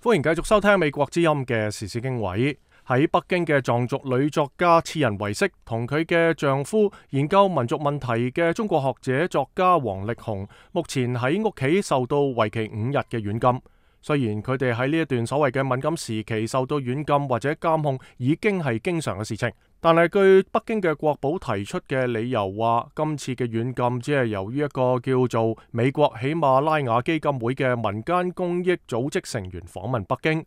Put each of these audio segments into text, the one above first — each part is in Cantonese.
歡迎繼續收聽美國之音嘅時事經緯。喺北京嘅藏族女作家次仁維色同佢嘅丈夫研究民族問題嘅中國學者作家王力宏，目前喺屋企受到為期5日嘅軟禁。雖然佢哋喺呢一段所謂嘅敏感時期受到軟禁或者監控已經係經常嘅事情，但係據北京嘅國保提出嘅理由話，今次嘅軟禁只係由於一個叫做美國喜馬拉雅基金會嘅民間公益組織成員訪問北京。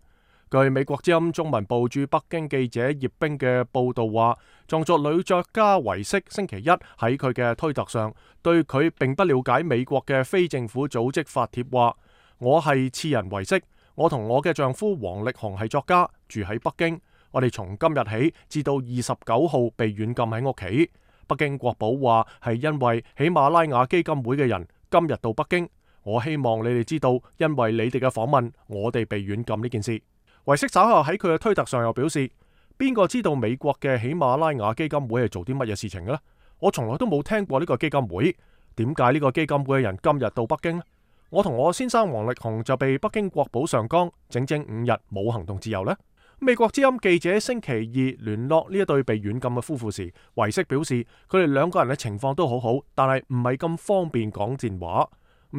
據美國之音中文部駐北京記者葉冰嘅報道話，藏族女作家維色星期一喺佢嘅推特上對佢並不了解美國嘅非政府組織發帖話：我係次仁維色，我同我嘅丈夫王力宏係作家，住喺北京。我哋從今日起至到29號被軟禁喺屋企。北京國保話係因為喜馬拉雅基金會嘅人今日到北京。我希望你哋知道，因為你哋嘅訪問，我哋被軟禁呢件事。維色稍後喺佢嘅推特上又表示：邊個知道美國嘅喜馬拉雅基金會係做啲乜嘢事情嘅呢？我從來都冇聽過呢個基金會。點解呢個基金會嘅人今日到北京呢？我同我先生王力宏就被北京國保上綱，整整5日冇行動自由呢。美國之音記者星期二聯絡呢一對被軟禁嘅夫婦時，維色表示佢哋兩個人嘅情況都好好，但係唔係咁方便講賤話。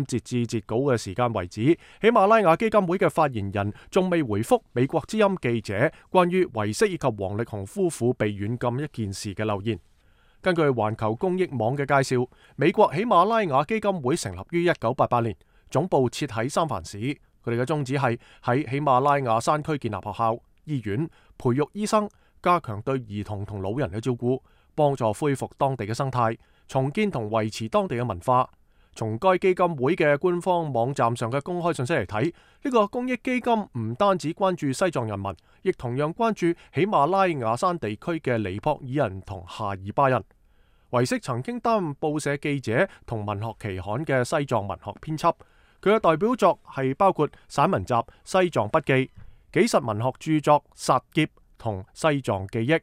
截至截稿嘅時間為止，喜馬拉雅基金會嘅發言人仲未回覆美國之音記者關於維色以及王力宏夫婦被軟禁一件事嘅留言。根據環球公益網嘅介紹，美國喜馬拉雅基金會成立於1988年，總部設喺三藩市。佢哋嘅宗旨係喺喜馬拉雅山區建立學校、醫院，培育醫生，加強對兒童同老人嘅照顧，幫助恢復當地嘅生態，重建同維持當地嘅文化。從該基金會嘅官方網站上嘅公開信息嚟睇，呢個公益基金唔單止關注西藏人民，亦同樣關注喜馬拉雅山地區嘅尼泊爾人同夏爾巴人。維色曾經擔任報社記者同文學期刊嘅西藏文學編輯，佢嘅代表作係包括散文集《西藏筆記》、紀實文學著作《薩劫》同《西藏記憶》。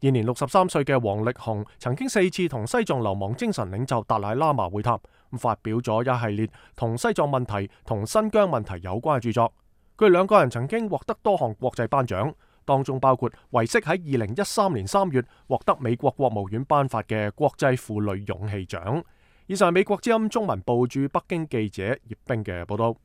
現年63歲嘅王力宏曾經4次同西藏流亡精神領袖達賴喇嘛會談，發表咗一系列同西藏問題同新疆問題有關嘅著作。佢哋兩個人曾經獲得多項國際頒獎，當中包括維色喺2013年3月獲得美國國務院頒發嘅國際婦女勇氣獎。以上係美國之音中文部駐北京記者葉冰嘅報道。